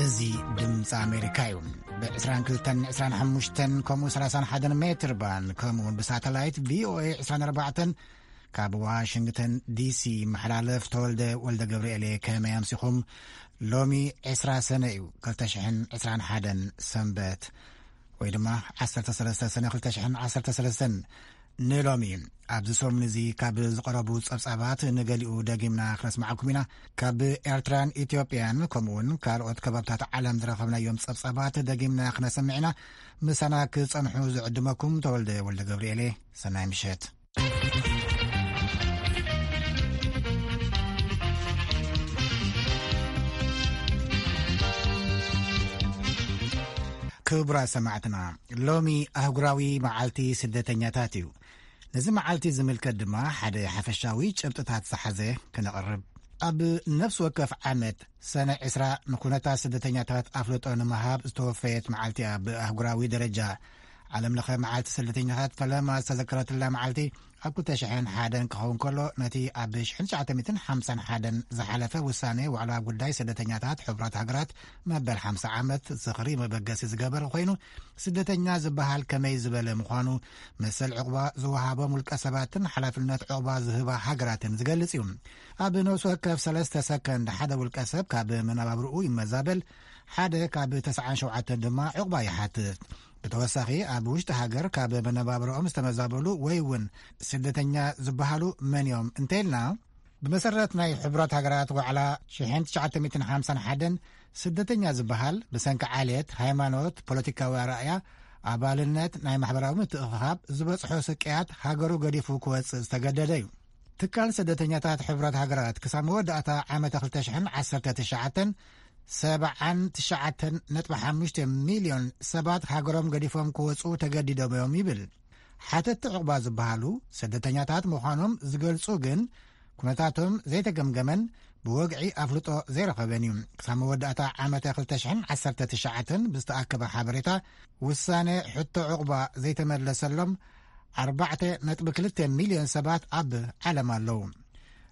እዚ ድምፂ ኣሜሪካ እዩ። ብ22፣ 25 ከምኡ 31 ሜትር ባንድ ከምኡ እውን ብሳተላይት ቪኦኤ 24 ካብ ዋሽንግተን ዲሲ መሓላለፍ። ተወልደ ወልደ ገብርኤል እየ። ከመይ ኣምሲኹም? ሎሚ ዕስራ ሰነ እዩ፣ ክልተ ሽሕን ዕስራን ሓደን ሰንበት፣ ወይ ድማ ዓሰርተ ሰለስተ ሰነ ክልተ ሽሕን ዓሰርተ ሰለስተን። ንሎሚ ኣብዚ ሰሙን እዚ ካብ ዝቐረቡ ጸብጻባት ንገሊኡ ደጊምና ክነስማዓኩም ኢና። ካብ ኤርትራን ኢትዮጵያን ከምኡውን ካልኦት ከባብታት ዓለም ዝረኸብናዮም ጸብጻባት ደጊምና ክነሰምዕ ኢና። ምሳና ክጸንሑ ዝዕድመኩም ተወልደ ወልደ ገብርኤል እየ። ሰናይ ምሸት። ክቡራት ሰማዕትና፣ ሎሚ ኣህጉራዊ መዓልቲ ስደተኛታት እዩ። ነዚ መዓልቲ ዝምልከት ድማ ሓደ ሓፈሻዊ ጭብጥታት ዝሓዘ ክነቕርብ። ኣብ ነፍሲ ወከፍ ዓመት ሰነ ዕስራ ንኩነታት ስደተኛታት ኣፍልጦ ንምሃብ ዝተወፈየት መዓልቲ እያ። ብኣህጉራዊ ደረጃ ዓለም ለኸ መዓልቲ ስደተኛታት ፈለማ ዝተዘከረትላ መዓልቲ ኣብ ክልተ ሽሕን ሓደን ክኸውን ከሎ፣ ነቲ ኣብ ሽሕን ትሽዓተ ሚእትን ሓምሳን ሓደን ዝሓለፈ ውሳኔ ዋዕላ ጉዳይ ስደተኛታት ሕቡራት ሃገራት መበል ሓምሳ ዓመት ዝኽሪ መበገሲ ዝገበረ ኮይኑ፣ ስደተኛ ዝበሃል ከመይ ዝበለ ምዃኑ፣ መሰል ዕቑባ ዝወሃቦም ውልቀ ሰባትን ሓላፍነት ዕቑባ ዝህባ ሃገራትን ዝገልጽ እዩ። ኣብ ነፍሲ ወከፍ ሰለስተ ሰከንድ ሓደ ውልቀ ሰብ ካብ መነባብርኡ ይመዛበል፣ ሓደ ካብ ተስዓን ሸውዓተን ድማ ዕቑባ ይሓትት። ብተወሳኺ ኣብ ውሽጢ ሃገር ካብ መነባብርኦም ዝተመዛበሉ ወይ እውን ስደተኛ ዝበሃሉ መን እዮም እንተኢልና፣ ብመሰረት ናይ ሕቡራት ሃገራት ዋዕላ ሽሕን ትሽዓተ ሚእትን ሓምሳን ሓደን ስደተኛ ዝበሃል ብሰንኪ ዓሌት፣ ሃይማኖት፣ ፖለቲካዊ ኣረኣእያ፣ ኣባልነት፣ ናይ ማሕበራዊ ምትእኽኻብ ዝበጽሖ ስቅያት ሃገሩ ገዲፉ ክወጽእ ዝተገደደ እዩ። ትካል ስደተኛታት ሕቡራት ሃገራት ክሳብ መወዳእታ ዓመተ ክልተ ሽሕን ዓሰርተ ትሽዓተን ሰብዓን ትሽዓተን ነጥቢ ሓሙሽተ ሚልዮን ሰባት ሃገሮም ገዲፎም ክወጹ ተገዲዶም እዮም ይብል። ሓተቲ ዕቑባ ዝበሃሉ ስደተኛታት ምዃኖም ዝገልጹ ግን ኩነታቶም ዘይተገምገመን ብወግዒ ኣፍልጦ ዘይረኸበን እዩ። ክሳብ መወዳእታ ዓመተ ክልተ ሽሕን ዓሰርተ ትሽዓተን ብዝተኣከበ ሓበሬታ፣ ውሳነ ሕቶ ዕቑባ ዘይተመለሰሎም ኣርባዕተ ነጥቢ ክልተ ሚልዮን ሰባት ኣብ ዓለም ኣለዉ።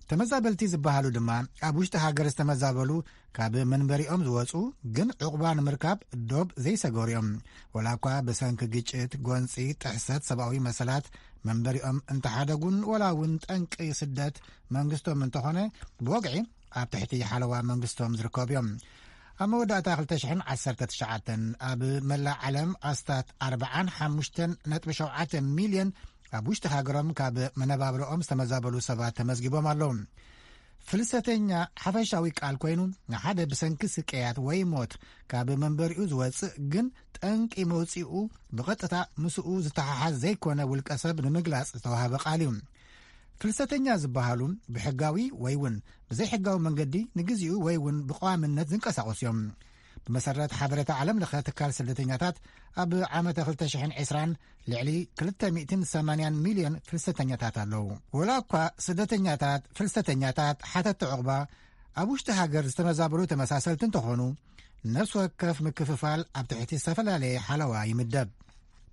ተመዛበልቲ ዝበሃሉ ድማ ኣብ ውሽጢ ሃገር ዝተመዛበሉ፣ ካብ መንበሪኦም ዝወጹ ግን ዕቑባ ንምርካብ ዶብ ዘይሰገሩ እዮም። ወላ እኳ ብሰንኪ ግጭት፣ ጎንጺ፣ ጥሕሰት ሰብኣዊ መሰላት መንበሪኦም እንተሓደጉን፣ ወላ እውን ጠንቂ ስደት መንግስቶም እንተኾነ፣ ብወግዒ ኣብ ትሕቲ ሓለዋ መንግስቶም ዝርከቡ እዮም። ኣብ መወዳእታ ክልተ ሽሕን ዓሰርተ ትሽዓተን ኣብ መላእ ዓለም ኣስታት ኣርባዓን ሓሙሽተን ነጥቢ ሸውዓተ ሚልዮን ኣብ ውሽጢ ሃገሮም ካብ መነባብሮኦም ዝተመዛበሉ ሰባት ተመዝጊቦም ኣለዉ። ፍልሰተኛ ሓፈሻዊ ቃል ኮይኑ፣ ንሓደ ብሰንኪ ስቅያት ወይ ሞት ካብ መንበሪኡ ዝወጽእ ግን ጠንቂ መውጽኡ ብቐጥታ ምስኡ ዝተሓሓዝ ዘይኮነ ውልቀ ሰብ ንምግላጽ ዝተዋህበ ቃል እዩ። ፍልሰተኛ ዝበሃሉ ብሕጋዊ ወይ እውን ብዘይሕጋዊ መንገዲ ንግዚኡ ወይ እውን ብቐዋምነት ዝንቀሳቐሱ እዮም። ብመሰረት ሓበሬታ ዓለም ለኸ ትካል ስደተኛታት፣ ኣብ ዓመተ ክልተ ሽሕን ዕስራን ልዕሊ ክልተ ሚእትን ሰማንያን ሚልዮን ፍልሰተኛታት ኣለዉ። ወላ እኳ ስደተኛታት፣ ፍልሰተኛታት፣ ሓተቲ ዕቑባ፣ ኣብ ውሽጢ ሃገር ዝተመዛበሉ ተመሳሰልቲ እንተኾኑ፣ ነፍሲ ወከፍ ምክፍፋል ኣብ ትሕቲ ዝተፈላለየ ሓለዋ ይምደብ።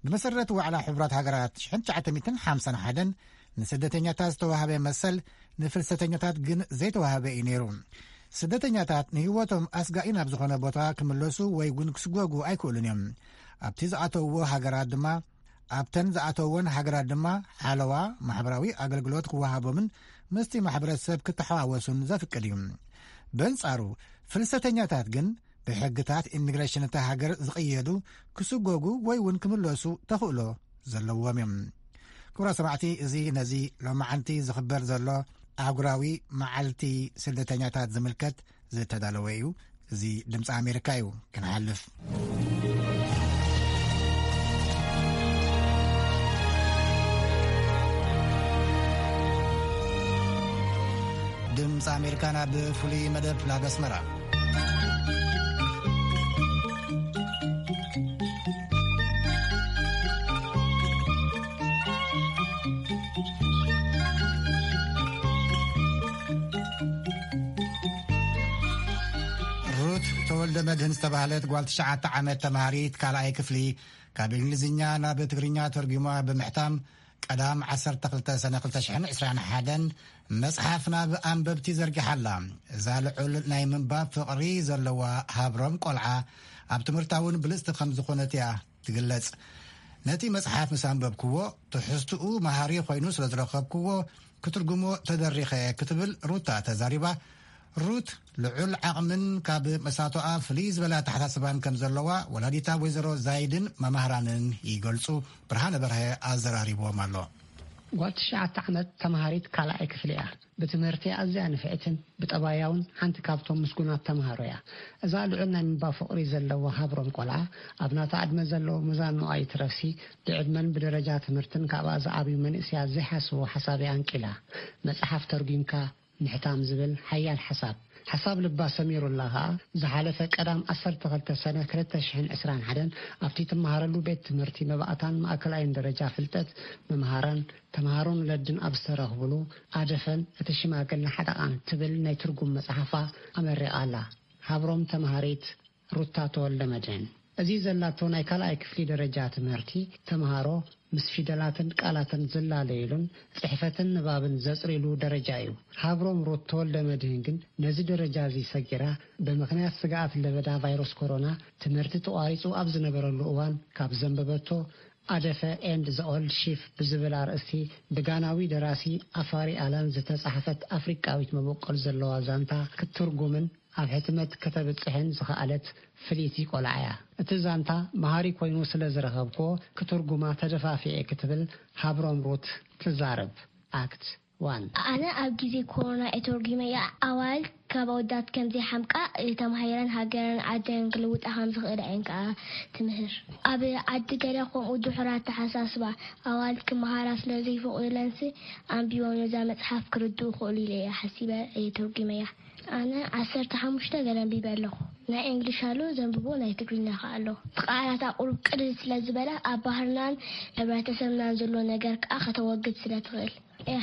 ብመሰረት ዋዕላ ሕቡራት ሃገራት ሽሕን ትሽዓተ ሚእትን ሓምሳን ሓደን ንስደተኛታት ዝተዋህበ መሰል ንፍልሰተኛታት ግን ዘይተዋህበ እዩ ነይሩ። ስደተኛታት ንህይወቶም ኣስጋኢ ናብ ዝኾነ ቦታ ክምለሱ ወይ እውን ክስጎጉ ኣይክእሉን እዮም። ኣብቲ ዝኣተውዎ ሃገራት ድማ፣ ኣብተን ዝኣተውወን ሃገራት ድማ ሓለዋ ማሕበራዊ ኣገልግሎት ክወሃቦምን ምስቲ ማሕበረሰብ ክተሓዋወሱን ዘፍቅድ እዩ። በንጻሩ፣ ፍልሰተኛታት ግን ብሕግታት ኢሚግሬሽን እታ ሃገር ዝቕየዱ፣ ክስጎጉ ወይ እውን ክምለሱ ተኽእሎ ዘለዎም እዮም። ክቡራት ሰማዕቲ፣ እዚ ነዚ ሎማዓንቲ ዝኽበር ዘሎ ኣህጉራዊ መዓልቲ ስደተኛታት ዝምልከት ዝተዳለወ እዩ። እዚ ድምፂ ኣሜሪካ እዩ። ክንሓልፍ። ድምፂ ኣሜሪካ ናብ ፍሉይ መደብ ናብ ኣስመራ። ሩት ተወልደ መድህን ዝተባህለት ጓል ትሽዓተ ዓመት ተምሃሪት ካልኣይ ክፍሊ፣ ካብ እንግሊዝኛ ናብ ትግርኛ ተርጒማ ብምሕታም፣ ቀዳም ዓሰርተ ክልተ ሰነ ክልተ ሽሕን ዕስራን ሓደን መጽሓፍ ናብ ኣንበብቲ ዘርጊሓ ኣላ። እዛ ልዑል ናይ ምንባብ ፍቕሪ ዘለዋ ሃብሮም ቆልዓ፣ ኣብ ትምህርታ እውን ብልጽቲ ከም ዝኾነት እያ ትግለጽ። ነቲ መጽሓፍ ምስ ኣንበብክዎ፣ ትሕዝትኡ መሃሪ ኮይኑ ስለ ዝረኸብክዎ፣ ክትርጉሞ ተደሪኸ እየ ክትብል ሩታ ተዛሪባ። ሩት ልዑል ዓቕምን ካብ መሳቶኣ ፍልይ ዝበለ ኣተሓሳስባን ከም ዘለዋ ወላዲታ ወይዘሮ ዛይድን መማህራንን ይገልጹ። ብርሃነ በርሀ ኣዘራሪብዎም ኣሎ። ጓል ትሽዓተ ዓመት ተምሃሪት ካልኣይ ክፍሊ እያ። ብትምህርቲ ኣዝያ ንፍዕትን ብጠባያውን ሓንቲ ካብቶም ምስጉናት ተምሃሮ እያ። እዛ ልዑል ናይ ምንባብ ፍቕሪ ዘለዋ ሃብሮም ቆልዓ፣ ኣብ ናታ ዕድመ ዘለዉ መዛን መዋኢ ትረፍሲ፣ ብዕድመን ብደረጃ ትምህርትን ካብኣ ዝዓብዩ መንእስያት ዘይሓስቦ ሓሳብ እያ ኣንቂላ። መጽሓፍ ተርጒምካ ምሕታም ዝብል ሓያል ሓሳብ፣ ሓሳብ ልባ ሰሚሩላ ከኣ፣ ዝሓለፈ ቀዳም ዓሰርተ ክልተ ሰነ ክልተ ሽሕን ዕስራን ሓደን ኣብቲ ትመሃረሉ ቤት ትምህርቲ መባእታን ማእከላይን ደረጃ ፍልጠት መምሃራን ተምሃሮን ወለድን ኣብ ዝተረኽብሉ ኣደፈን እቲ ሽማግለ ሓደቓን ትብል ናይ ትርጉም መጽሓፋ ኣመሪቓ ኣላ። ሃብሮም ተምሃሪት ሩታ ተወልደ መድህን። እዚ ዘላቶ ናይ ካልኣይ ክፍሊ ደረጃ ትምህርቲ ተምሃሮ ምስ ፊደላትን ቃላትን ዝላለዩሉን ጽሕፈትን ንባብን ዘጽርዩሉ ደረጃ እዩ። ሃብሮም ሩት ተወልደ መድህን ግን ነዚ ደረጃ እዚ ሰጊራ፣ ብምኽንያት ስግኣት ለበዳ ቫይረስ ኮሮና ትምህርቲ ተቋሪጹ ኣብ ዝነበረሉ እዋን ካብ ዘንበበቶ ኣደፈ ኤንድ ዘ ኦልድ ሺፍ ብዝብል ኣርእስቲ ብጋናዊ ደራሲ ኣፋሪ ኣላን ዝተጻሕፈት ኣፍሪቃዊት መበቆል ዘለዋ ዛንታ ክትትርጉምን ኣብ ሕትመት ከተብጽሕን ዝኸኣለት ፍልይቲ ቆልዓ እያ። እቲ ዛንታ መሃሪ ኮይኑ ስለ ዝረኸብክዎ፣ ክትርጉማ ተደፋፊኤ ክትብል ሃብሮም ሩት ትዛረብ። ኣክት ዋን። ኣነ ኣብ ግዜ ኮሮና እየ ተርጒመያ። ኣዋልድ ካብ ኣወዳት ከም ዘይሓምቃ፣ ተማሂረን ሃገረን ዓደን ክልውጣ ከም ዝኽእላ እየን ከኣ ትምህር። ኣብ ዓዲ ገለ ከምኡ ድሑር ኣተሓሳስባ፣ ኣዋልድ ክመሃራ ስለ ዘይፈቕዱለንሲ፣ ኣንቢቦም ነዛ መጽሓፍ ክርድኡ ክኽእሉ ኢለ እየ ሓሲበ እየ ተርጒመያ። ኣነ ዓሰርተ ሓሙሽተ ገለ ኣንቢበ ኣለኹ። ናይ እንግሊሽ ኣሎ ዘንብቦ፣ ናይ ትግርኛ ከኣ ኣሎ። እቲ ቃላታ ቁሩብ ቅልል ስለ ዝበለ፣ ኣብ ባህርናን ሕብረተሰብናን ዘሎ ነገር ከኣ ከተወግድ ስለ ትኽእል።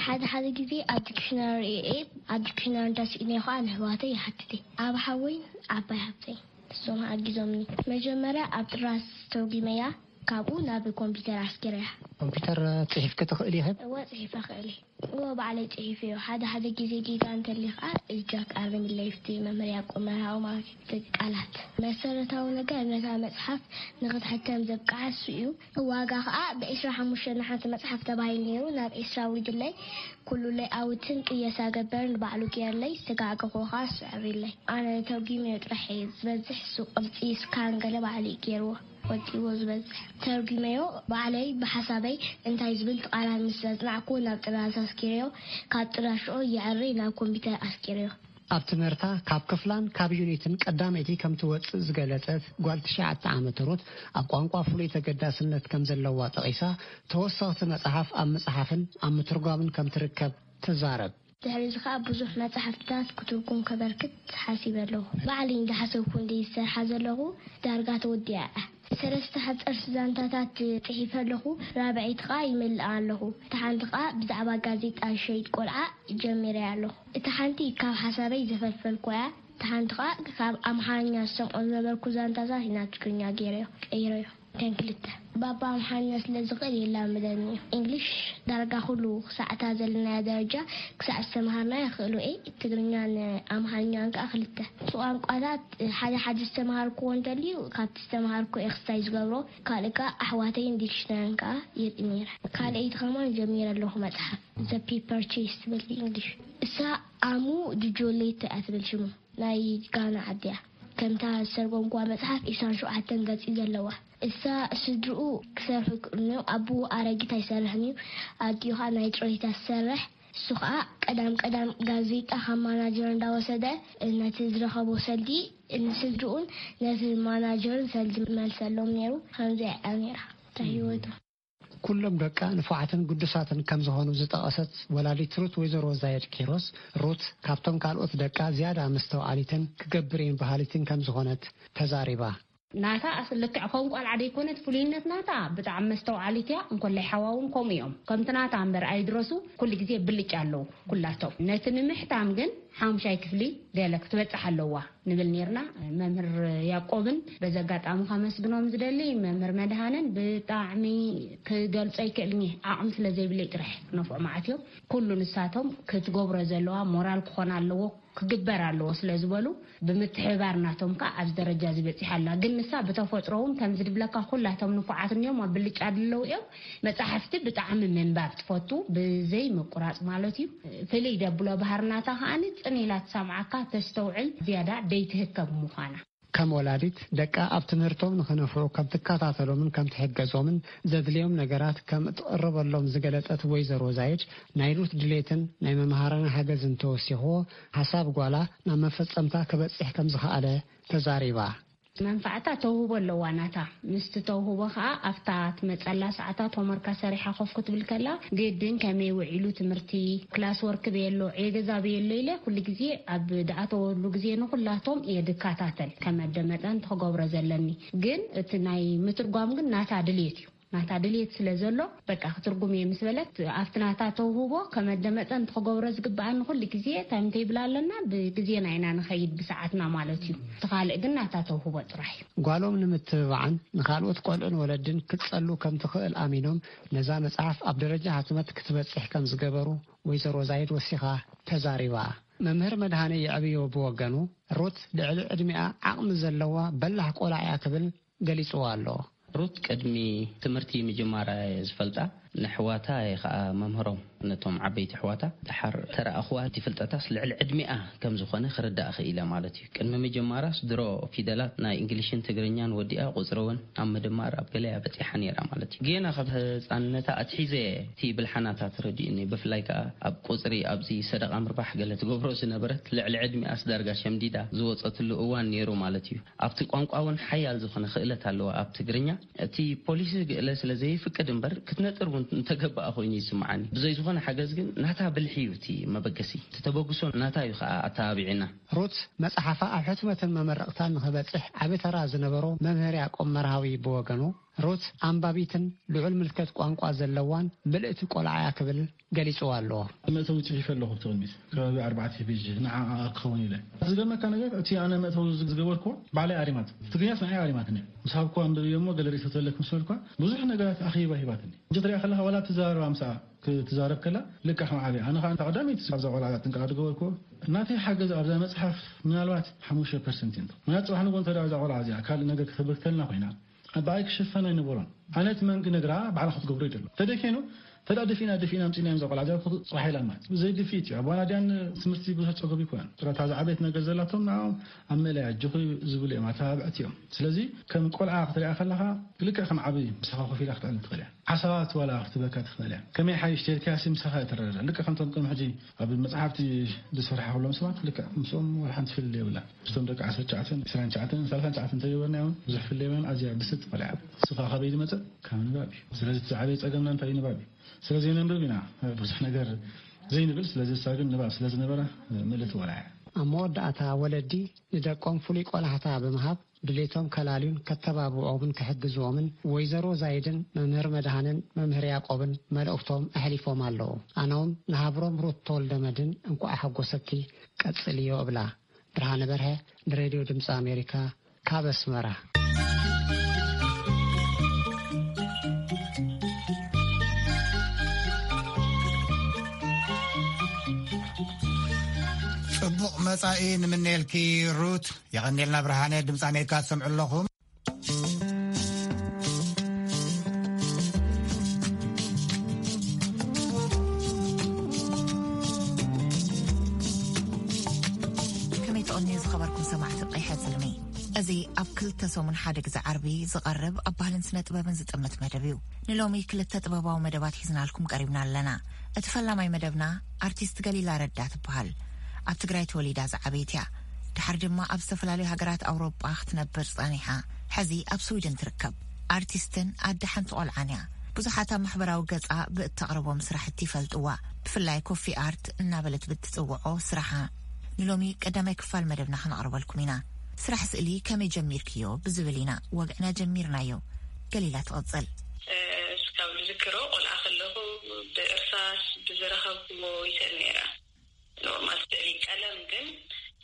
ሓደ ሓደ ግዜ ኣብ ዲክሽነሪ ርኤ፣ ኣብ ዲክሽነሪ እንተስኢነ ከኣ ንኣሕዋተይ ይሓትት እየ። ኣብ ሓወይን ዓባይ ሓብተይ ንሶም ኣጊዞምኒ። መጀመርያ ኣብ ጥራዝ ተርጒመያ፣ ካብኡ ናብ ኮምፒተር ኣስጊረያ። ኮምፒተር ጽሒፍኪ ትኽእሊ ኢኺ? እወ፣ ጽሒፈ እኽእል እየ። እወ፣ ባዕለይ ጽሒፈዮ። ሓደ ሓደ ግዜ ጌጋ እንተልዩ ከኣ እጃክ ኣርምለይ፣ ፍቲ መምህር ያዕቆብ መርሃዊ ማለት እዩ። እቲ ቃላት መሰረታዊ ነገር ነታ መጽሓፍ ንኽትሕተም ዘብቅዓ እሱ እዩ። ዋጋ ከኣ ብዒስራ ሓሙሽተ ንሓንቲ መጽሓፍ ተባሂሉ ነይሩ። ናብ ዒስራ ኣውሪድለይ፣ ኩሉ ለይኣውትን ቅየሳ ገበርን ባዕሉ ገይርለይ፣ ዝተጋገኹ ከኣ እሱ ኣዕብዩለይ። ኣነ ተርጒመዮ ጥራሕ እየ ዝበዝሕ፣ እሱ ቅርጺ ስካን ገለ ባዕሉ እዩ ገይርዎ። ወጺዎ ዝበዝሕ ተርጒመዮ ባዕለይ ብሓሳበይ እንታይ ዝብል ቃላት ምስ ኣጽናዕኩ ናብ ጥራዝ ኣስጊረዮ፣ ካብ ጥራዝ ሽዑ የዕሪ ናብ ኮምፒተር ኣስጊረዮ። ኣብ ትምህርታ ካብ ክፍላን ካብ ዩኒትን ቀዳመይቲ ከም ትወጽእ ዝገለጸት ጓል ትሽዓተ ዓመት ሩት፣ ኣብ ቋንቋ ፍሉይ ተገዳስነት ከም ዘለዋ ጠቒሳ፣ ተወሰኽቲ መጽሓፍ ኣብ ምጽሓፍን ኣብ ምትርጓምን ከም ትርከብ ትዛረብ። ድሕሪ እዚ ኸኣ ብዙሕ መጻሕፍትታት ክትርጉም ከበርክት ሓሲበ ኣለኹ። ባዕለይ እንዳሓሰብኩ እንድየ ዝሰርሓ ዘለኹ፣ ዳርጋ ተወዲኣ እያ። ሰለስተ ሓጸርቲ ዛንታታት ጽሒፈ ኣለኹ፣ ራብዐይቲ ኸኣ ይምልኣ ኣለኹ። እታ ሓንቲ ኸኣ ብዛዕባ ጋዜጣ ሸይጥ ቆልዓ ጀሚረያ ኣለኹ። እታ ሓንቲ ካብ ሓሳበይ ዘፈልፈልኩዋ እያ። እታ ሓንቲ ኸኣ ካብ ኣምሓርኛ ዝሰምዖ ዝነበርኩ ዛንታታት ናብ ትግርኛ ገይረዮ፣ ቀይረዮ። እተን ክልተ። ባባ ኣምሓርኛ ስለ ዝኽእል የላምደኒ እዩ። እንግሊሽ ዳርጋ ኩሉ ክሳዕ እታ ዘለናያ ደረጃ ክሳዕ ዝተምሃርናዮ ክእልዎ እየ። ትግርኛን ኣምሓርኛን ከኣ ክልተ። እቲ ቋንቋታት ሓደ ሓደ ዝተምሃርክዎ እንተልዩ ካብቲ ዝተምሃርክዎ እየ ክስታይ ዝገብሮ። ካልእ ከኣ ኣሕዋተይን ዲክሽነርን ከኣ የርኢ ነይረ። ካልኣይቲ ከማን ጀሚረ ኣለኹ መጽሓፍ። ዘ ፒፐር ቼስ ትብል ብእንግሊሽ። እሳ ኣሙ ዱጆሌቶ እያ ትብል ሽሙ። ናይ ጋና ዓዲ እያ። ከምታ ዝተርጎምኩዋ መጽሓፍ ዒስራን ሸውዓተን ገጽ እዩ ዘለዋ። እሳ ስድርኡ ክሰርሑ ይክእሉ እዮም። ኣቦኡ ኣረጊት ኣይሰርሕን እዩ። ኣዲኡ ኸኣ ናይ ጥሮይታ ትሰርሕ። እሱ ኸኣ ቀዳም ቀዳም ጋዜጣ ካብ ማናጀር እንዳወሰደ ነቲ ዝረኸቦ ሰልዲ ንስድርኡን ነቲ ማናጀርን ሰልዲ መልሰሎም ነይሩ። ከምዚኣ እያ ነይራ እታ ህይወቱ። ኩሎም ደቃ ንፉዓትን ግዱሳትን ከም ዝኾኑ ዝጠቐሰት ወላዲት ሩት ወይዘሮ ዛየድ ኪሮስ፣ ሩት ካብቶም ካልኦት ደቃ ዝያዳ መስተውዓሊትን ክገብር እየን በሃሊትን ከም ዝኾነት ተዛሪባ። ናታ ኣስ-፣ ልክዕ ከም ቆልዓ ደይኮነት ፍሉይነት ናታ፣ ብጣዕሚ መስተውዓሊት እያ። እንኮላይ ሓዋ እውን ከምኡ እዮም። ከምቲ ናታ እምበር ኣይድረሱ፣ ኩሉ ግዜ ብልጫ ኣለዉ ኩላቶም። ነቲ ንምሕታም ግን ሓሙሻይ ክፍሊ ገለ ክትበጽሕ ኣለዋ ንብል ነርና። መምህር ያዕቆብን በዚ ኣጋጣሚ ከመስግኖም ዝደሊ፣ መምህር መድሃንን ብጣዕሚ ክገልጾ ኣይክእልን እየ። ዓቕሚ ስለ ዘይብለይ ጥራሕ ክነፍዖ መዓት እዮም። ኩሉ ንሳቶም ክትገብሮ ዘለዋ ሞራል ክኾን ኣለዎ፣ ክግበር ኣለዎ ስለ ዝበሉ፣ ብምትሕብባር ናቶም ከኣ ኣብዚ ደረጃ እዚ በጺሓ ኣላ። ግን ንሳ ብተፈጥሮ እውን ከምዚ ድብለካ ኩላቶም ንፉዓት እንዮም፣ ኣብ ብልጫ ድለው እዮም። መጻሕፍቲ ብጣዕሚ ምንባብ ትፈቱ፣ ብዘይ ምቁራጽ ማለት እዩ። ፍልይ ደብሎ ባህሪ ናታ ከኣ ጽን ኢላ ትሰምዓካ፣ ተስተውዕል፣ ዝያዳ ደይትህከብ ምዃና። ከም ወላዲት፣ ደቃ ኣብ ትምህርቶም ንኽነፍዑ ከም ትከታተሎምን ከም ትሕገዞምን ዘድልዮም ነገራት ከም እትቕርበሎም ዝገለጸት ወይዘሮ ዛይድ፣ ናይ ሩት ድሌትን ናይ መምሃራና ሓገዝን ተወሲኽዎ፣ ሓሳብ ጓላ ናብ መፈጸምታ ክበጽሕ ከም ዝኸኣለ ተዛሪባ። መንፋዕታ ተውህቦ ኣለዋ ናታ። ምስቲ ተውህቦ ከኣ ኣብታ ትመጸላ ሰዓታት ሆምወርካ ሰሪሓ ኮፍ ክትብል ከላ፣ ግድን ከመይ ውዒሉ ትምህርቲ፣ ክላስ ወርክ በየሎ፣ ዕዮ ገዛ በየሎ ኢለ ኩሉ ግዜ ኣብ ድኣተወሉ ግዜ ንኹላቶም እየ ድከታተል፣ ከመደመጠን ትኽገብሮ ዘለኒ። ግን እቲ ናይ ምትርጓም ግን ናታ ድልየት እዩ። ናታ ድልየት ስለ ዘሎ፣ በቃ ክትርጉም እየ ምስ በለት፣ ኣብቲ ናታ ተውህቦ ከመደመጠን ትኽገብሮ ዝግብኣኒ ኩሉ ግዜ ታይም ቴብል ኣለና፣ ብግዜና ኢና ንኸይድ ብሰዓትና ማለት እዩ። እቲ ካልእ ግን ናታ ተውህቦ ጥራሕ እዩ። ጓሎም ንምትብባዕን ንኻልኦት ቆልዑን ወለድን ክትጸሉ ከም ትኽእል ኣሚኖም፣ ነዛ መጽሓፍ ኣብ ደረጃ ሕትመት ክትበጽሕ ከም ዝገበሩ ወይዘሮ ዛይድ ወሲኻ ተዛሪባ። መምህር መድሃነ የዕብዮ ብወገኑ፣ ሩት ልዕሊ ዕድሚኣ ዓቕሚ ዘለዋ በላሕ ቆልዓ እያ ክብል ገሊጽዋ ኣሎ። ሩት ቅድሚ ትምህርቲ ምጅማራ እየ ዝፈልጣ። ንሕዋታ እየ ኸኣ መምህሮም፣ ነቶም ዓበይቲ ኣሕዋታ። ደሓር ተረኣኽዋ፣ እቲ ፍልጠታስ ልዕሊ ዕድሚኣ ከም ዝኾነ ክርዳእ ክኢለ ማለት እዩ። ቅድሚ ምጅማራስ ድሮ ፊደላት ናይ እንግሊሽን ትግርኛን ወዲኣ፣ ቁጽሪ እውን ኣብ ምድማር ኣብ ገለያ በጺሓ ነይራ ማለት እዩ። ጌና ካብ ህጻንነታ ኣትሒዘ እቲ ብልሓናታ ተረዲኡኒ። ብፍላይ ከኣ ኣብ ቁጽሪ፣ ኣብዚ ሰደቓ ምርባሕ ገለ ትገብሮ ዝነበረት፣ ልዕሊ ዕድሚኣስ ዳርጋ ሸምዲዳ ዝወጸትሉ እዋን ነይሩ ማለት እዩ። ኣብቲ ቋንቋ እውን ሓያል ዝኾነ ክእለት ኣለዋ። ኣብ ትግርኛ እቲ ፖሊሲ ግእለ ስለ ዘይፍቅድ እምበር፣ ክትነጥር እውን እንተገብኣ ኮይኑ ይስምዓኒ። ብዘይ ዝኾነ ሓገዝ ግን ናታ ብልሒ እዩ እቲ መበገሲ። እቲ ተበግሶ ናታ እዩ ከኣ ኣተባቢዕና። ሩት መጽሓፋ ኣብ ሕትመትን መመረቕታን ንኽበጽሕ ዓቢ ተራ ዝነበሮ መምህር ያዕቆብ መርሃዊ ብወገኑ፣ ሩት ኣንባቢትን ልዑል ምልከት ቋንቋ ዘለዋን ምልእቲ ቆልዓ እያ ክብል ገሊጽዋ ኣሎ። መእተዊ ጽሒፈ ኣለኹ ኣብቲ ቅድሚት። ከባቢ ኣርባዕተ ፔጅ ንዓኣ ክኸውን ኢለ። ዝገርመካ ነገር፣ እቲ ኣነ መእተዊ ዝገበርኩዎ ባዕለይ ኣሪማት። ትግርኛስ ንዓይ ኣሪማትኒ። ምስ ሃብኩዋ ኣንብብዮ እሞ ገለ ርእይቶ ተለክ ምስ በልኳ፣ ብዙሕ ነገራት ኣኺባ ሂባትኒ። እንጂ ትሪኣ ከለኻ ዋላ ትዛረባ ምስኣ ክትዛረብ ከላ ልክዕ ከም ዓብያ። ኣነ ኸዓ እታ ቀዳመይቲ ኣብዛ ቆልዓ ጥንቃቐ ዝገበርኩዎ፣ ናተይ ሓገዝ ኣብዛ መጽሓፍ ምናልባት ሓሙሽተ ፐርሰንት እዩ። ምክንያቱ ጽባሕ ንግሆ እንተ ደኣ እዛ ቆልዓ እዚኣ ካልእ ነገር ከተበርክተልና ኮይና፣ ብኣይ ክሽፈን ኣይነበሮን። ኣነ እቲ መንግ ነግራ ባዕላ ክትገብሮ ይደሎ። ተደኬኑ፣ ተዳ ደፊና፣ ደፊና ኣምጺና እዮም ዘቆልዓ ዘርኩ ጽባሕ ኢላ ማለት። ብዘይ ድፊት እዩ። ኣባና ድያን ትምህርቲ ብዙሕ ጸገብ ይኮነን። ጥራታ ዝዓበየት ነገር ዘላቶም ንዓኦም ኣብ መለያ ኣጆኺ ዝብሉ እዮም፣ ኣተባብዕቲ እዮም። ስለዚ ከም ቆልዓ ክትሪኣ ከለኻ ልክዕ ከም ዓቢ ምሳኻ ኮፍ ኢላ ክትዕልል ትኽእል እያ። ሓሳባት ዋላ ክትበካ ትኽእል እያ። ከመይ ሓይሽ ተልካሲ ምሳኻ እትረዳዳ። ልክዕ ከምቶም ቅድሚ ሕጂ ኣብ መጽሓፍቲ ዝሰርሓ ከሎም ሰባት ልክዕ ምስኦም ዋላ ሓንቲ ፍልልይ የብላን። ምስቶም ደቂ ዓሰርተ ትሽዓተ፣ ዕስራን ትሽዓተን፣ ሰላሳን ትሽዓተን እንተገበርናዮም ብዙሕ ፍልልይ የብላን። ኣዝያ ብስልቲ ቆልዓ እያ። ንሱ ኸኣ ካበይ ዝመጸ? ካብ ንባብ እዩ። ስለዚ እቲ ዝዓበየ ጸገምና እንታይ እዩ? ንባብ እዩ። ስለዚ ነንብብ ኢና ብዙሕ ነገር ዘይንብል፣ ስለዚ እሳ ግን ንባብ ስለ ዝነበራ ምልእቲ ቆልዓ እያ። ኣብ መወዳእታ ወለዲ ንደቆም ፍሉይ ቆላሕታ ብምሃብ ድሌቶም ከላልዩን ከተባብዖምን ክሕግዝዎምን ወይዘሮ ዛይድን መምህር መድሃንን መምህር ያዕቆብን መልእኽቶም ኣሕሊፎም ኣለዉ። ኣነውን ንሃብሮም ሩት ተወልደ መድን እንቋዕ ሓጎሰኪ ቀጽልዮ እብላ። ብርሃነ በርሀ ንሬድዮ ድምፂ ኣሜሪካ ካብ ኣስመራ። ጽቡቕ መጻኢ ንምነየልኪ ሩት። የቐንየልና ብርሃነ፣ ድምፂ ኣሜሪካ ትሰምዑ ኣለኹም። ከመይ ትቕንዩ ዝኸበርኩም ሰማዕቲ ቀይሐ ጽልሚ? እዚ ኣብ ክልተ ሰሙን ሓደ ግዜ ዓርቢ ዝቐርብ ኣብ ባህልን ስነ ጥበብን ዝጥምት መደብ እዩ። ንሎሚ ክልተ ጥበባዊ መደባት ሒዝናልኩም ቀሪብና ኣለና። እቲ ፈላማይ መደብና ኣርቲስት ገሊላ ረዳ ትበሃል። ኣብ ትግራይ ተወሊዳ ዝዓበየት እያ። ድሓር ድማ ኣብ ዝተፈላለዩ ሃገራት ኣውሮጳ ክትነብር ጸኒሓ። ሕዚ ኣብ ስዊድን ትርከብ። ኣርቲስትን ኣደ ሓንቲ ቆልዓን እያ። ብዙሓት ኣብ ማሕበራዊ ገጻ ብእተቕርቦም ስራሕቲ ይፈልጥዋ። ብፍላይ ኮፊ ኣርት እናበለት ብትጽውዖ ስራሓ። ንሎሚ ቀዳማይ ክፋል መደብና ክነቕርበልኩም ኢና። ስራሕ ስእሊ ከመይ ጀሚርክዮ ብዝብል ኢና ወግዕና ጀሚርናዮ። ገሊላ ትቕጽል። እስካብ ዝዝክሮ ቆልዓ ከለኹ ብእርሳስ ብዝረኸብኩዎ ይስእል ነይረ። ኖርማል ስእሊ። ቀለም ግን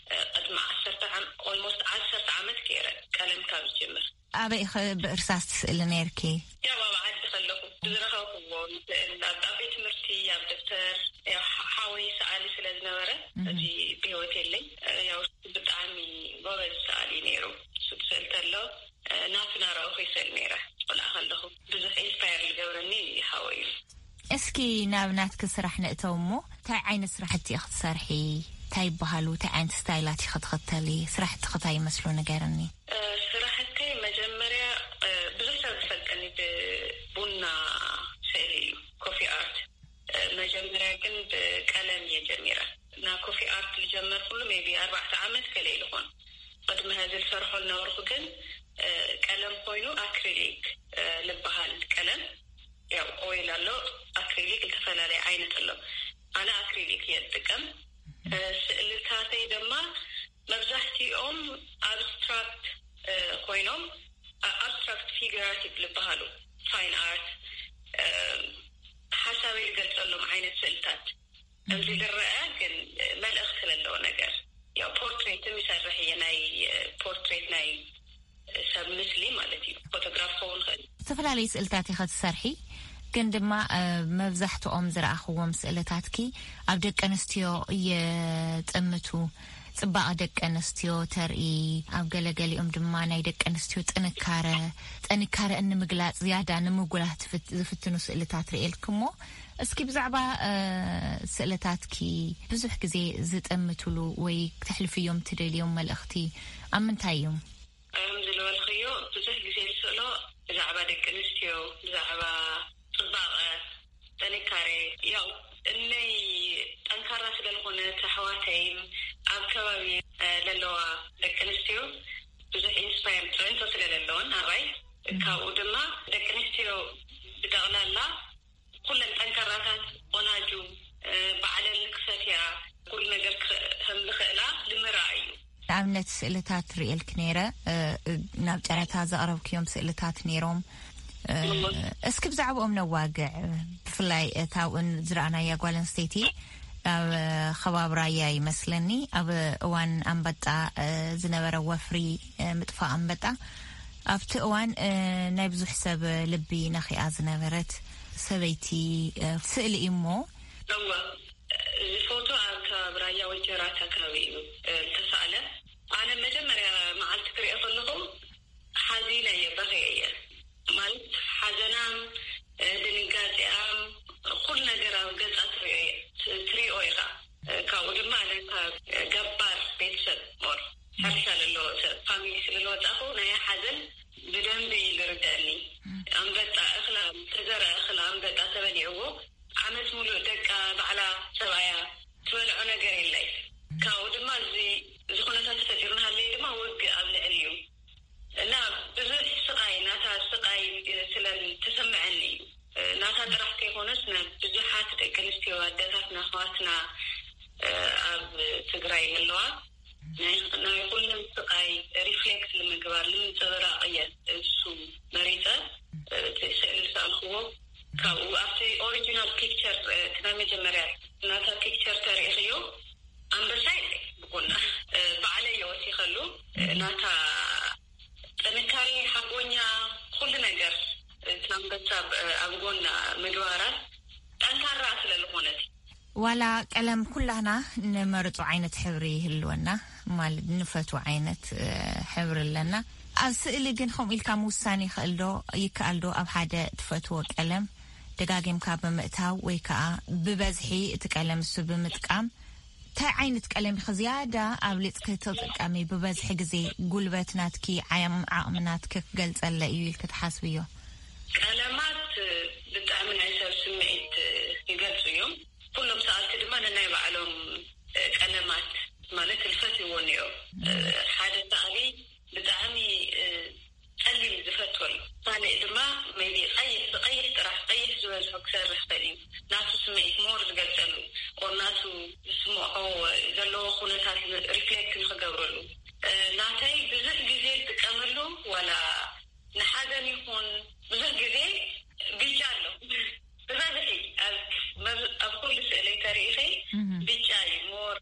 እ፣ ቅድሚ ዓሰርተ ዓም- ኦልሞስት ዓሰርተ ዓመት ገይረ ቀለም ካብ ዝጅምር። ኣበይ ኢኸ ብእርሳስ ትስእሊ ነይርኪ? ያው ኣብ ዓዲ ከለኹ ብዝረኸብኩዎ ስእል ኣብ ኣብ ቤት ትምህርቲ፣ ኣብ ደብተር፣ ያው ሓ- ሓወይ ሰኣሊ ስለ ዝነበረ፣ እዚ ብህይወት የለይ። እ፣ ያው ብጣዕሚ ጎበዝ ሰኣሊ ነይሩ። እሱ ክስእል ከሎ ናትና ረእኹ ይስእል ነይረ። ቆልዓ ከለኹ ብዙሕ ኢንስፓየር ዝገብረኒ ሓወይ እዩ። እስኪ ናብ ናትኪ ስራሕ ንእተው እሞ፣ እንታይ ዓይነት ስራሕቲ ኢኺ ትሰርሒ? እንታይ ይበሃሉ? እንታይ ዓይነት ስታይላት ኢኺ ትኽተሊ? ስራሕትኺ እንታይ ይመስሉ ንገርኒ። ስራሕተይ መጀመርያ ብዙሕ ሰብ ዝፈልጠኒ ብቡና ስእሊ እዩ፣ ኮፊ ኣርት። መጀመርያ ግን ብቀለም እየ ጀሚረ። ና ኮፊ ኣርት ዝጀመርኩሉ ሜቢ ኣርባዕተ ዓመት ገለ ኢሉ ኾን። ቅድሚ ሀዚ ዝሰርሖ ዝነበርኩ ግን ቀለም ኮይኑ ኣክሪሊክ ዝበሃል ቀለም፣ ያው ኦይል ኣሎ፣ ኣክሪሊክ ዝተፈላለየ ዓይነት ኣሎ። ኣነ ኣክሪሊክ እየ ዝጥቀም። ስእልታተይ ድማ መብዛሕትኦም ኣብስትራክት ኮይኖም፣ ኣብስትራክት ፊገራቲቭ ዝበሃሉ ፋይን ኣርት፣ ሓሳበይ ዝገልፀሎም ዓይነት ስእልታት። እዚ ዝረአ ግን መልእኽቲ ዘለዎ ነገር። ያው ፖርትሬትም ይሰርሕ እየ፣ ናይ ፖርትሬት፣ ናይ ሰብ ምስሊ ማለት እዩ። ፎቶግራፍ ክኸውን ይኽእል። ዝተፈላለዩ ስእልታት ኢኸ ትሰርሒ፣ ግን ድማ መብዛሕትኦም ዝረኣኽዎም ስእልታትኪ ኣብ ደቂ ኣንስትዮ የጠምቱ። ጽባቐ ደቂ ኣንስትዮ ተርኢ፣ ኣብ ገለገሊኦም ድማ ናይ ደቂ ኣንስትዮ ጥንካረ፣ ጥንካረ እንምግላጽ ዝያዳ ንምጉላህ ዝፍትኑ ስእልታት ርእየልክሞ። እስኪ ብዛዕባ ስእልታትኪ ብዙሕ ግዜ ዝጠምትሉ ወይ ክተሕልፍዮም ትደልዮም መልእኽቲ ኣብ ምንታይ እዮም? ከም ዝበልክዮ፣ ብዙሕ ግዜ ዝስእሎ ብዛዕባ ደቂ ኣንስትዮ፣ ብዛዕባ ጽባቐ፣ ጥንካሬ። ያው እነይ ጠንካራ ስለ ዝኾነት ኣሕዋተይን ኣብ ከባቢ ዘለዋ ደቂ ኣንስትዮ ብዙሕ ኢንስፓየር፣ ፅዕንቶ ስለ ዘለወን ኣባይ፣ ካብኡ ድማ ደቂ ኣንስትዮ ብጠቕላላ ኩለን ጠንካራታት፣ ቆናጁ፣ ባዕለን ክሰትያ፣ ኩሉ ነገር ከም ዝኽእላ ንምርኣይ እዩ። ንኣብነት ስእልታት ርእየልክ ነይረ፣ ናብ ጨረታ ዘቕረብክዮም ስእልታት ነይሮም። እስኪ ብዛዕባኦም ነዋግዕ። ብፍላይ እታ ኣብኡን ዝረኣናያ ጓል ኣንስተይቲ ኣብ ከባቢ ራያ ይመስለኒ፣ ኣብ እዋን ኣንበጣ ዝነበረ ወፍሪ፣ ምጥፋእ ኣንበጣ፣ ኣብቲ እዋን ናይ ብዙሕ ሰብ ልቢ ነኺኣ ዝነበረት ሰበይቲ ስእሊ እዩ እሞ። እወ፣ እዚ ፎቶ ኣብ ከባቢ ራያ ወጀራት ኣካባቢ እዩ ዝተሳእለ። ኣነ መጀመርያ መዓልቲ ክሪኦ ከለኹ ሓዚነ እየ፣ በኺየ እየ። ማለት ሓዘናም፣ ድንጋፂኣም፣ ኩሉ ነገር ኣብ ገፃ ትሪኦ እየ፣ ትሪኦ ኢኻ። ካብኡ ድማ ኣነ ካብ ገባር ቤተሰብ ሞር ሕርሻ ዘለዎ ሰብ ፋሚሊ ስለ ዝወፃኹ ናይ ሓዘን ብደንቢ ይርደእኒ። ኣንበጣ እኽላ፣ ተዘረ እኽላ ኣንበጣ ተበሊዕዎ ዓመት ሙሉእ ደቃ ባዕላ ሰብኣያ ትበልዖ ነገር የላይ። ካብኡ ድማ እዚ እዚ ኩነታት ተፈጢሩ ናሃለየ ድማ ውግእ ኣብ ልዕሊኡ እና ብዙሕ ስቓይ፣ ናታ ስቓይ ስለ ተሰምዐኒ እዩ። ናታ ጥራሕ ከይኮነስ ናብ ብዙሓት ደቂ ኣንስትዮ ኣደታትና ኣሕዋትና ኣብ ትግራይ ዘለዋ ናይ ናይ ኩለን ስቓይ ሪፍሌክት ንምግባር ንምንፅብራቕ እየ እሱ መሪፀ እቲ ስእሊ ዝሰኣልክዎ። ካብኡ ኣብቲ ኦሪጂናል ፒክቸር እቲ ናይ መጀመርያ ናታ ፒክቸር ተሪእኽዮ ኣንበሳ የለ ብጎና ባዕለ እየ ወሲኸሉ ናታ ጥንካሬ ሓቦኛ ኩሉ ነገር እቲ ኣንበሳ ኣብ ጎና ምግባራ ጠንካራ ስለ ዝኾነት። ዋላ ቀለም ኩላህና ንመርጾ ዓይነት ሕብሪ ይህልወና፣ ማለት ንፈትዎ ዓይነት ሕብሪ ኣለና። ኣብ ስእሊ ግን ከምኡ ኢልካ ምውሳን ይኽእል ዶ? ይከኣል ዶ ኣብ ሓደ ትፈትዎ ቀለም ደጋጊምካ ብምእታው ወይ ከኣ ብበዝሒ እቲ ቀለም እሱ ብምጥቃም እንታይ ዓይነት ቀለም ኢኺ ዝያዳ ኣብሊጽኪ ትጥቀሚ? ብበዝሒ ግዜ ጉልበት ናትኪ፣ ዓም-፣ ዓቕሚ ናትኪ ክገልጸለ እዩ ኢልኪ ትሓስብዮ? ቀለማት ብጣዕሚ ናይ ሰብ ስምዒት ይገልጹ እዮም። ኩሎም ሰኣልቲ ድማ ነናይ ባዕሎም ቀለማት ማለት ዝፈትይዎ እኒኦ። ሓደ ሰኣሊ ብጣዕሚ ጸሊም ዝፈትወል፣ ካልእ ድማ maybe ቀይሕ፣ ብቀይሕ ጥራሕ፣ ቀይሕ ዝበዝሖ ክሰርሕ ይኽእል እዩ። ናቱ ስምዒት ሞር ዝገልጸሉ፣ ኦር ናቱ ዝስምዖ ዘለዎ ኩነታት ሪፍሌክት ንክገብረሉ። ናተይ ብዙሕ ግዜ ዝጥቀመሉ ዋላ ንሓዘን ይኹን ብዙሕ ግዜ ቢጫ ኣሎ። ብበዝሒ ኣብ፣ ኣብ ኩሉ ስእለይ ተሪኢኺ ቢጫ እዩ ሞር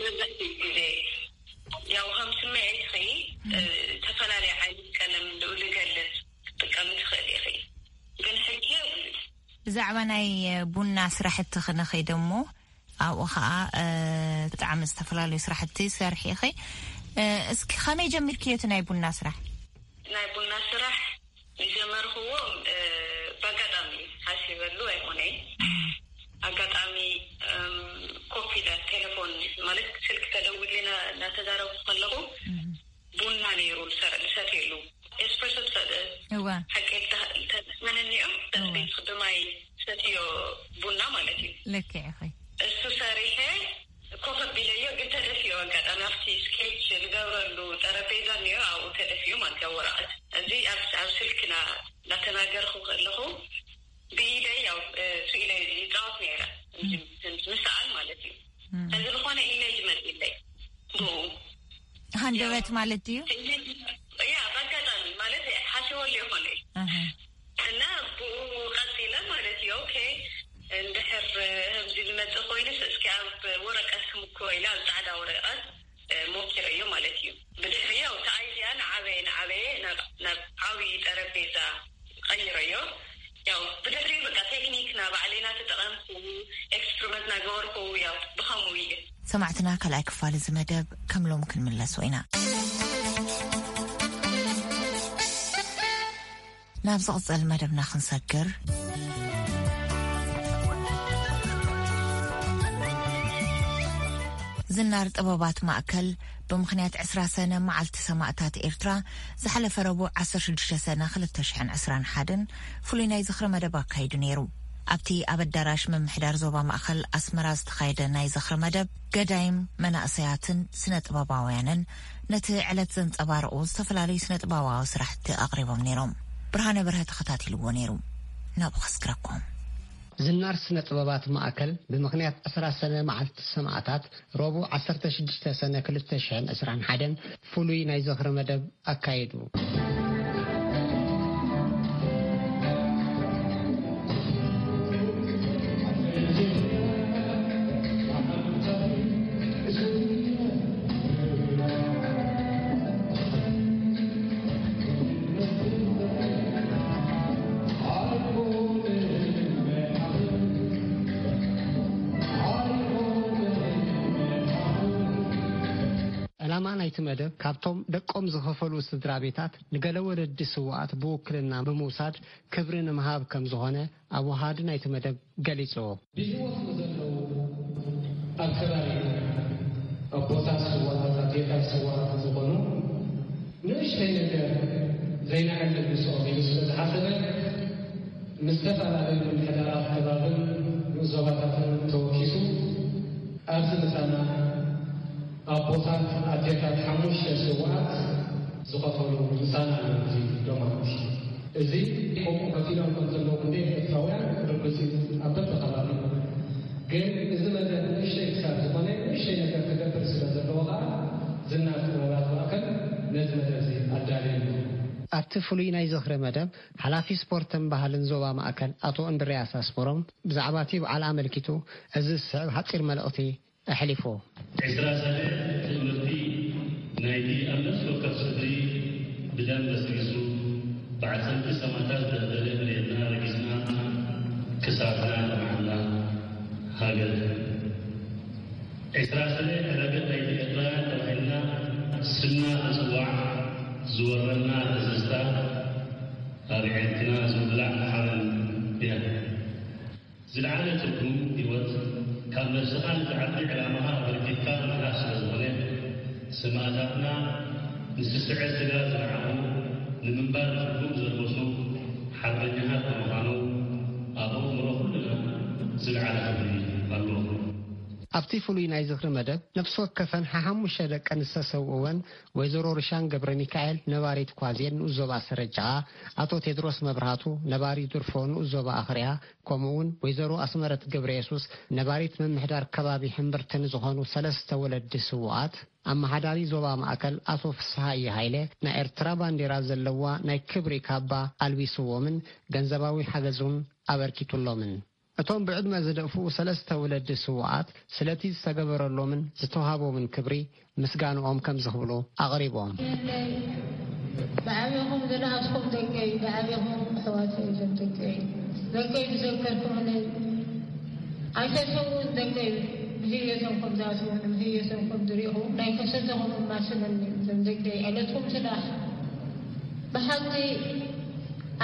መብዛሕትኡ ግዜ ያው ከም ስምዒትኺ፣ እ፣ ዝተፈላለየ ዓይነት ቀለም ንኡ ልገልጽ ክትጥቀሚ ትኽእሊ ኢኺ። ግን ሕጂ የብሉን። ብዛዕባ ናይ ቡና ስራሕቲ ክንኸይድ እሞ፣ ኣብኡ ኸዓ፣ እ፣ ብጣዕሚ ዝተፈላለዩ ስራሕቲ ትሰርሒ ኢኺ። እ፣ እስኪ ከመይ ጀሚርክዮ እቲ ናይ ቡና ስራሕ? ናይ ቡና ስራሕ ዝጀመርክዎ፣ እ፣ ብኣጋጣሚ እዩ። ሓሲበሉ ኣይኮነይ። ኣጋጣሚ፣ እም፣ ኮፍ ኢለ ቴሌፎን ማለት ስልክ ተደዊሉና እናተዛረብኩ ከለኹ ቡና ነይሩ ዝሰ-፣ ዝሰትየሉ። ኤስፕሬሶ ትፈ-፣ እዋ። ሓቂ እንተ-፣ እንተመነኒኦም እዋ። ቤት ብማይ ሰትዮ ቡና ማለት እዩ። ልክዕ ኢኺ። እሱ ሰሪሐ ኮፍ ኣቢለዮ፣ ግን ተደፊኡ ኣጋጣሚ ኣብቲ ስኬች ዝገብረሉ ጠረጴዛ እኒኦ፣ ኣብኡ ተደፊኡ ማለት እዩ፣ ወረቐት። እዚ ኣብ፣ ኣብ ስልክና እናተናገርኩ ከለኹ ብኢደይ ያው፣ እ፣ ስኢለ ይጻወት ነይረ። እዚ ምስኣል ማለት እዩ። እም። እዚ ዝኾነ ኢሜጅ መጺለይ ብኡ። ሃንደበት ማለት ድዩ? ኢሜጅ፣ ያ፣ በአጋጣሚ ማለት ሓሲበሉ ይኾነ። ኣሃ። እና ብኡ ቀጺለ ማለት እዩ። ኦኬ፣ እንድሕር ከምዚ ዝመጽእ ኮይኑስ እስኪ ኣብ ወረቀት ክምክሮ ኢለ ኣብ ጻዕዳ ወረቀት፣ እ፣ ሞኪረዮ ማለት እዩ። ብድሕሪ ያው እቲ ኣይድያ ንዓበየ፣ ንዓበየ ናብ፣ ናብ ዓብዪ ጠረጴዛ ቀይረዮ። ያው ብድሕሪ በቃ ቴክኒክ ና ባዕለይ ና ተጠቐምኩ፣ ኤክስፐሪመንት ና ገበርኩ፣ ያው ብኸምኡ እዩ። ሰማዕትና ካልኣይ ክፋል እዚ መደብ ከም ሎም ክንምለሶ ኢና። ናብ ዝቕጽል መደብና ክንሰግር፣ ዝናር ጥበባት ማእከል ብምኽንያት ዕስራ ሰነ መዓልቲ ሰማእታት ኤርትራ ዝሓለፈ ረቡዕ ዓሰርተ ሽዱሽተ ሰነ ክልተ ሽሕን ዕስራን ሓደን ፍሉይ ናይ ዝኽሪ መደብ ኣካይዱ ነይሩ። ኣብቲ ኣብ ኣዳራሽ ምምሕዳር ዞባ ማእከል ኣስመራ ዝተኻየደ ናይ ዝኽሪ መደብ፣ ገዳይም መናእሰያትን ስነ ጥበባውያንን ነቲ ዕለት ዘንጸባርቑ ዝተፈላለዩ ስነ ጥበባዊ ስራሕቲ ኣቕሪቦም ነይሮም። ብርሃነ በርሀ ተኸታቲልዎ ነይሩ። ናብኡ ከስግረኩም። ዝናር ስነ ጥበባት ማእከል ብምኽንያት ዕስራ ሰነ መዓልቲ ሰማእታት ረቡዕ ዓሰርተ ሽዱሽተ ሰነ ክልተ ሽሕን ዕስራን ሓደን ፍሉይ ናይ ዝኽሪ መደብ ኣካይዱ። ዕላማ ናይቲ መደብ፣ ካብቶም ደቆም ዝኸፈሉ ስድራ ቤታት ንገለ ወለዲ ስውኣት ብውክልና ብምውሳድ ክብሪ ንምሃብ ከም ዝኾነ ኣወሃሃዲ ናይቲ መደብ ገሊጹ። ብህይወት ንዘለዉ ኣብ ከባቢ ኣቦታት ስውኣት፣ ኣዴታት ስውኣት ዝኾኑ ንእሽተይ ነገር ዘይነዕልል ምስኦም ኢሉ ስለ ዝሓሰበ፣ ምስ ዝተፈላለዩ ምምሕዳራት ከባብን ንኡስ ዞባታትን ተወኪሱ ኣብዚ ምሳና ኣቦታት ኣዴታት ሓሙሽተ ስውኣት ዝኸፈሉ ምሳና ኣሎ። እዚ ዶማት እዚ ከምኡ ከፊሎም ከም ዘለዉ ክንደይ ኤርትራውያን ርግጽ እዩ። ኣብ በብከባቢ ግን እዚ መደብ ንእሽተይ ክሳብ ዝኾነ ንእሽተይ ነገር ክገብር ስለ ዘለዎ ከኣ ዝናር ጥበባት ማእከል ነዚ መደብ እዚ ኣዳልዩ ኣሎ። ኣብቲ ፍሉይ ናይ ዝኽሪ መደብ ሓላፊ ስፖርትን ባህልን ዞባ ማእከል ኣቶ እንድርያስ ኣስመሮም ብዛዕባ እቲ በዓል ኣመልኪቱ እዚ ዝስዕብ ሓጺር መልእኽቲ ኣሕሊፉ። ዕስራ ሰነ ትእምርቲ ናይቲ ኣብ ነፍሲ ወከፍ ስድሪ ብደም በስቢሱ ብዓጸንቲ ሰማእታት ዝተበደለ መሬትና ረጊጽና ክሳድና ጠማዕና ሃገር። ዕስራ ሰነ ዕዳገት ናይቲ ኤርትራውያን ተባሂልና ስምና ክጽዋዕ ዝወረና ተዘዝታ ኣብ ዕርክና ዝውላዕ ሓበን እያ። ዝለዓለ ትርጉም ህይወት ካብ ነብስኻን ዝዓቢ ዕላማኻ ኣበርኪትካ ምሕላፍ ስለ ዝኾነ፣ ሰማእታትና ንስስዐ ስጋ ዝነዓቑ ንምንባር ትርጉም ዘልበሱ ሓርበኛታት ብምዃኖም ኣብ ኣእምሮ ኩልና ዝለዓለ ክብሪ ኣለዎም። ኣብቲ ፍሉይ ናይ ዝኽሪ መደብ፣ ነፍሲ ወከፈን ሓሓሙሽተ ደቀን ዝተሰውእወን ወይዘሮ ርሻን ገብረ ሚካኤል፣ ነባሪት ኳዜን ንኡስ ዞባ ሰረጃኣ፣ ኣቶ ቴድሮስ መብርሃቱ፣ ነባሪ ድርፎ ንኡስ ዞባ ኣኽርያ፣ ከምኡውን ወይዘሮ ኣስመረት ገብረየሱስ፣ ነባሪት ምምሕዳር ከባቢ ሕምብርቲ ንዝኾኑ ሰለስተ ወለዲ ስዉኣት፣ ኣመሓዳሪ ዞባ ማእከል ኣቶ ፍስሃየ ሃይለ፣ ናይ ኤርትራ ባንዴራ ዘለዋ ናይ ክብሪ ካባ ኣልቢስዎምን ገንዘባዊ ሓገዝ እውን ኣበርኪቱሎምን። እቶም ብዕድመ ዝደፍኡ ሰለስተ ወለዲ ስውኣት ስለቲ ዝተገበረሎምን ዝተዋህቦምን ክብሪ ምስጋንኦም ከምዚ ክብሉ ኣቕሪቦም። ብዓቢኹም ዝነኣስኩም ደቀይ፣ ብዓቢኹም ኣሕዋተይ እዞም ደቀይ፣ ደቀይ ዝዘከርኩምለይ ኣይተሰውኡን ደቀይ፣ ብህየቶም ከም ዝኣስሩን ብህየቶም ከም ዝሪእኹ ናይ ከሰተኹም እማስለኒ። እዞም ደቀይ ዕለትኩም ስራሕ ብሓቂ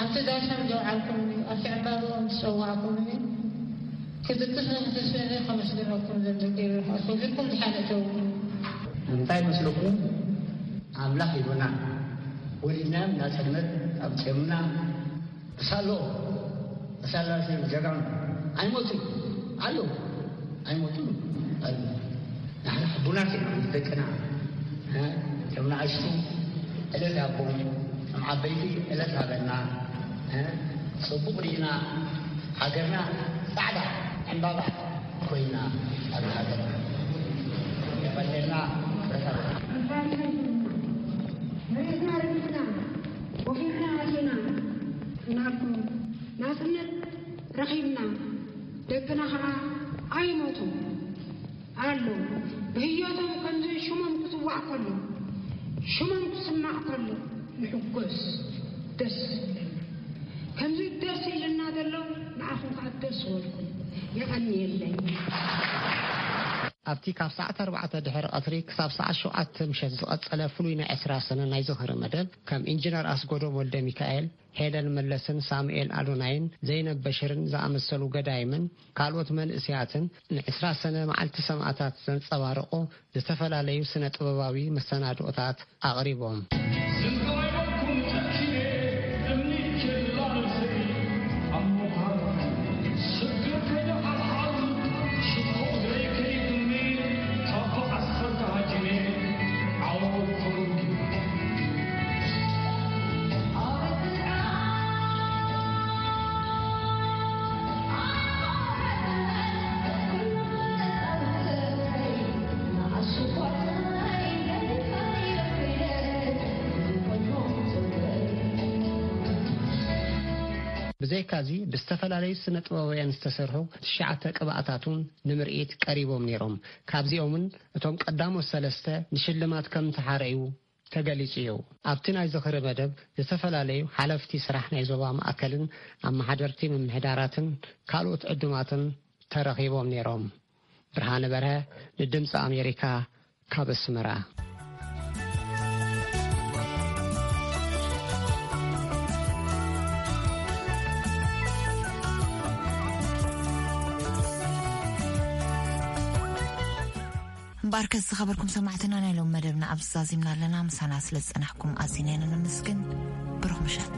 ኣብቲ ዳሶም ዘውዓልኩምኒ፣ ኣብቲ ዕምባብኦም ዝጸዋዕኩምኒ ክድቅስን ክትስእንን ከመስግነኩም ዘምዘገይሩ ርሑስ ወፊርኩም ድሓን እተዉ። እንታይ መስለኩም? ኣምላኽ ሂቡና፣ ወሊድናዮም ናጽነት ኣምጺኦምና። እሳሎ፣ እሳላ ጀጋኑ ኣይሞቱን ኣለዉ፣ ኣይሞቱን ኣለዉ። ንሕና ሕቡናት ኢና ምስ ደቅና፣ እ፣ ከም ንኣሽቱ ዕለት ሃቦም፣ ከም ዓበይቲ ዕለት ሃበና፣ እ፣ ጽቡቕ ርኢና፣ ሃገርና ጻዕዳ ዕምባባ ኮይና፣ ኣብ ሃገርና የቐንየልና። ርኢትና ረቢሕና፣ ወፊርና ኣቲና፣ ናጽነት ረኺብና፣ ደቅና ኸዓ ኣይሞቱን። ኣሎ። ብህይወቶም ከምዚ ሽሞም ክጽዋዕ ከሎ፣ ሽሞም ክስማዕ ከሎ፣ ንሕጎስ፣ ደስ ይብለና። ከምዚ ደስ ኢልና ዘሎ፣ ንዓኹም ከኣ ደስ ይበልኩም። የቐንየለይ። ኣብቲ ካብ ሰዓት ኣርባዕተ ድሕሪ ቀትሪ ክሳብ ሰዓት ሸውዓተ ምሸት ዝቐጸለ ፍሉይ ናይ ዕስራ ሰነ ናይ ዝኽሪ መደብ፣ ከም ኢንጂነር ኣስጎዶም ወልደ ሚካኤል፣ ሄለን መለስን ሳሙኤል ኣዶናይን ዘይነብ በሽርን ዝኣመሰሉ ገዳይምን ካልኦት መንእሰያትን ንዕስራ ሰነ መዓልቲ ሰማእታት ዘንጸባርቑ ዝተፈላለዩ ስነ ጥበባዊ መሰናድኦታት ኣቕሪቦም። ዝንጋይበኩም ጨኪነ እምኒ ኬላ ነብሰይ ኣብ ምዃን ስግር ከይደ ሓልሓል ሽኮር ዘይከይድኒ ካብ ዓስከር ተሃጂነ ዓወት ኮንኪ። ብዘይካዚ ብዝተፈላለዩ ስነ ጥበባውያን ዝተሰርሑ ትሽዓተ ቅብኣታት እውን ንምርኢት ቀሪቦም ነይሮም። ካብዚኦምን እቶም ቀዳሞት ሰለስተ ንሽልማት ከም ተሓረዩ ተገሊጹ እዩ። ኣብቲ ናይ ዝኽሪ መደብ ዝተፈላለዩ ሓለፍቲ ስራሕ ናይ ዞባ ማእከልን ኣመሓደርቲ ምምሕዳራትን ካልኦት ዕዱማትን ተረኺቦም ነይሮም። ብርሃነ በርሀ ንድምፂ ኣሜሪካ ካብ ኣስመራ። እምበኣርከስ ዝኸበርኩም ሰማዕትና፣ ናይ ሎም መደብና ኣብዚ ዛዚምና ኣለና። ምሳና ስለ ዝጸናሕኩም ኣዚና ኢና ነመስግን። ብሩኽ ምሸት።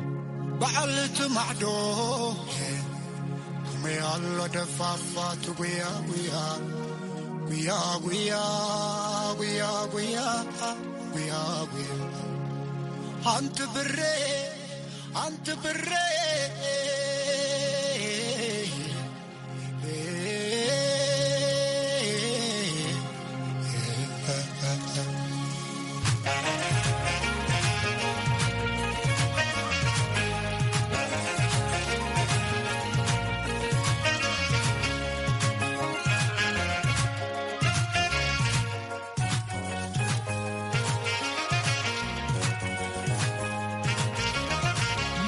በዓልቲ ማዕዶ ከመይ ኣሎ ደፋፋት ጉያ ጉያ፣ ጉያ ጉያ፣ ጉያ ጉያ፣ ጉያ ጉያ። ኣንቲ ብሬ፣ ኣንቲ ብሬ።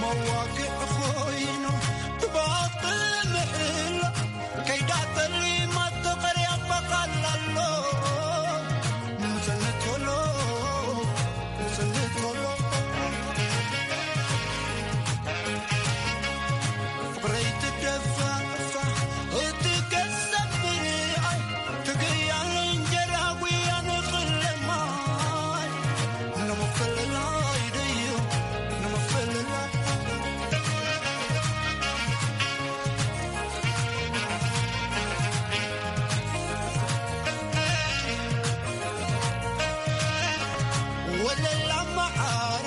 መዋግዕ ኮይኑ ትባጥል ምሕላ ከይዳ ጠሊማ ተቐርያ በቓል ኣሎ። ንጽልት ቶሎ፣ ንጽልት ቶሎ። ፍቕረይ ትደፋፋ እቲ ገዛ ብርኣይ ትግያል እንጀራ ጉያ ንኽለማይ ንምፍልላይ ደዩ ንምፍልላይ። ወለላ መዓር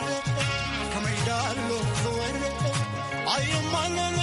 ከመይ ዳሎ ዝወረ ኣይማንን